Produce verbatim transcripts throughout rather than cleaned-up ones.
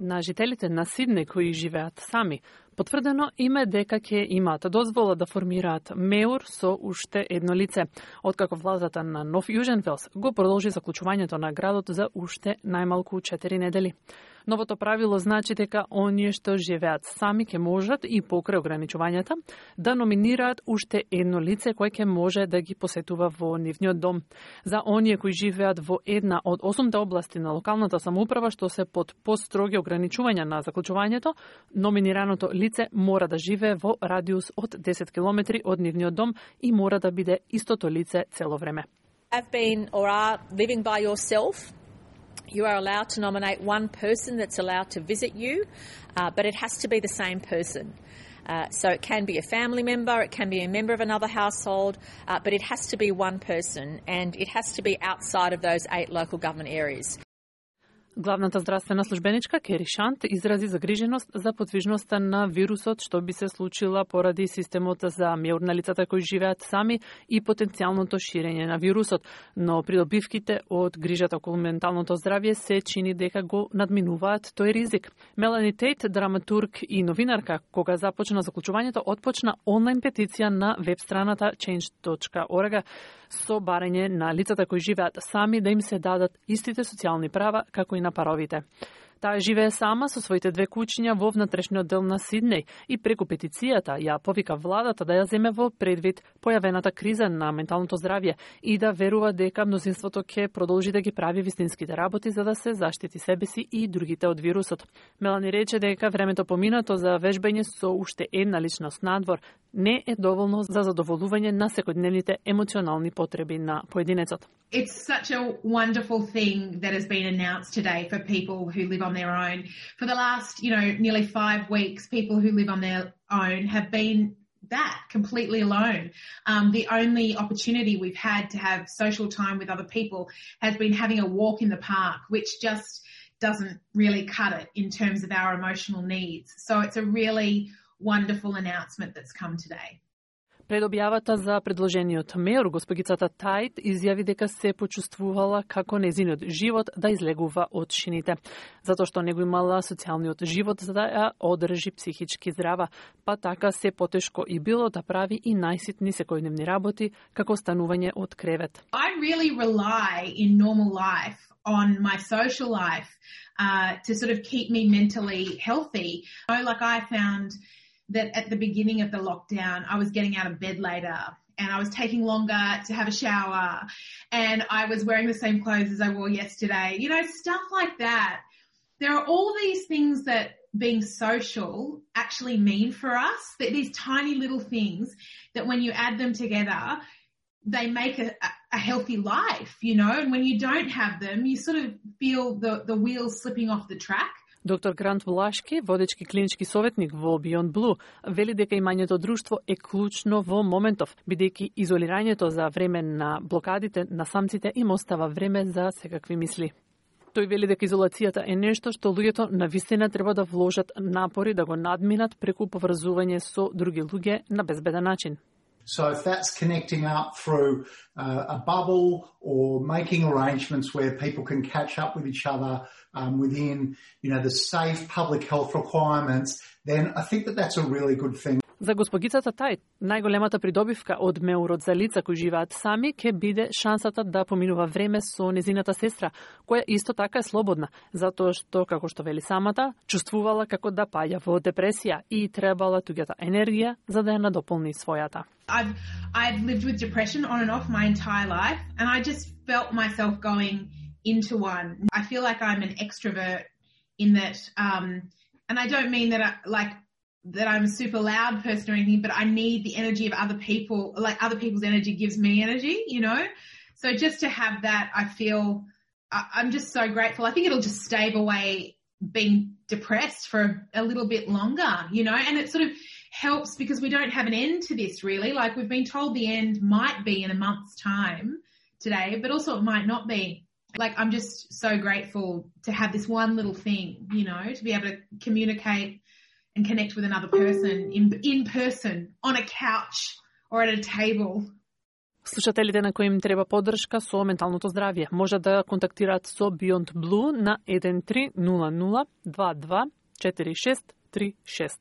На жителите на Сиднеј кои живеат сами, потврдено им е дека ќе имаат дозвола да формираат меур со уште едно лице, откако владата на Нов Јужен Велс го продолжи заклучувањето на градот за уште најмалку четири недели. Новото правило значи дека оние што живеат сами ќе можат и покрај ограничувањата да номинираат уште едно лице кое ќе може да ги посетува во нивниот дом. За оние кои живеат во една од осумте области на локалната самоуправа што се под построги ограничувања на заклучувањето, номинираното лице мора да живее во радиус од десет километри од нивниот дом и мора да биде истото лице цело време. Have been or are living by yourself. You are allowed to nominate one person that's allowed to visit you, uh, but it has to be the same person. Uh, so it can be a family member, it can be a member of another household, uh, but it has to be one person and it has to be outside of those eight local government areas. Главната здравствена службеничка Кери Шант изрази загриженост за подвижноста на вирусот што би се случила поради системот за меур на лицата кои живеат сами и потенцијалното ширење на вирусот, но придобивките од грижата околу менталното здравје се чини дека го надминуваат тој ризик. Мелани Тейт, драматург и новинарка, кога започна заклучувањето, отпочна онлайн петиција на веб страната change dot org со барање на лицата кои живеат сами да им се дадат истите социјални права како и на паровите. Таа живее сама со своите две куќиња во внатрешниот дел на Сиднеј и преку петицијата ја повика владата да ја земе во предвид појавената криза на менталното здравје и да верува дека мнозинството ќе продолжи да ги прави вистинските работи за да се заштити себе си и другите од вирусот. Мелани рече дека времето поминато за вежбање со уште една личност надвор не е доволно за задоволување на секојдневните емоционални потреби на поединецот. It's such a wonderful thing that has been announced today for people who live on their own. For the last, you know, nearly five weeks, people who live on their own have been that, completely alone. Um, the only opportunity we've had to have social time with other people has been having a walk in the park, which just doesn't really cut it in terms of our emotional needs. So it's a really wonderful announcement that's come today. Пред објавата за предложениот меур, госпогицата Тајт изјави дека се почувствувала како незиниот живот да излегува од шините, затоа што не го имала социјалниот живот за да ја одржи психички здрава, па така се потешко и било да прави и најситни секојдневни работи, како станување од кревет. I really rely in normal life on my social life uh, to sort of keep me mentally healthy. So, like I found that at the beginning of the lockdown, I was getting out of bed later and I was taking longer to have a shower and I was wearing the same clothes as I wore yesterday. You know, stuff like that. There are all these things that being social actually mean for us, that these tiny little things that when you add them together, they make a, a healthy life, you know, and when you don't have them, you sort of feel the, the wheels slipping off the track. Доктор Грант Блашки, водечки клинички советник во Beyond Blue, вели дека имањето друштво е клучно во моментов, бидејќи изолирањето за време на блокадите на самците им остава време за секакви мисли. Тој вели дека изолацијата е нешто што луѓето навистина треба да вложат напори да го надминат преку поврзување со други луѓе на безбеден начин. So if that's connecting up through uh, a bubble or making arrangements where people can catch up with each other um, within, you know, the safe public health requirements, then I think that that's a really good thing. За госпогицата Тајт, најголемата придобивка од меурот за лица кои живеат сами ќе биде шансата да поминува време со незината сестра, која исто така е слободна, затоа што, како што вели самата, чувствувала како да паѓа во депресија и требала туѓата енергија за да ја надополни својата. I've I've lived with depression on and off my entire life, and I just felt myself going into one. I feel like I'm an extrovert in that, um, and I don't mean that I, like that I'm a super loud person or anything, but I need the energy of other people. Like other people's energy gives me energy, you know. So just to have that, I feel I, I'm just so grateful. I think it'll just stave away being depressed for a little bit longer, you know, and it sort of helps because we don't have an end to this really. Like we've been told the end might be in a month's time today, but also it might not be. Like I'm just so grateful to have this one little thing, you know, to be able to communicate and connect with another person in in person, on a couch or at a table. Слушателите на кои им треба поддршка со менталното здравје може да контактираат со Beyond Blue на еден три нула нула два два четири шест три шест.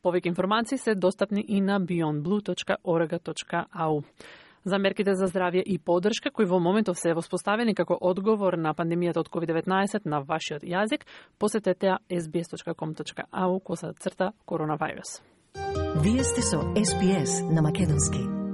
Повеќе информации се достапни и на beyond blue точка org точка a u. За мерките за здравје и поддршка кои во моментов се воспоставени како одговор на пандемијата од ковид деветнаесет на вашиот јазик, посетете ес би ес точка ком точка a u коса црта коронавирус. Вие сте со Ес Би Ес на македонски.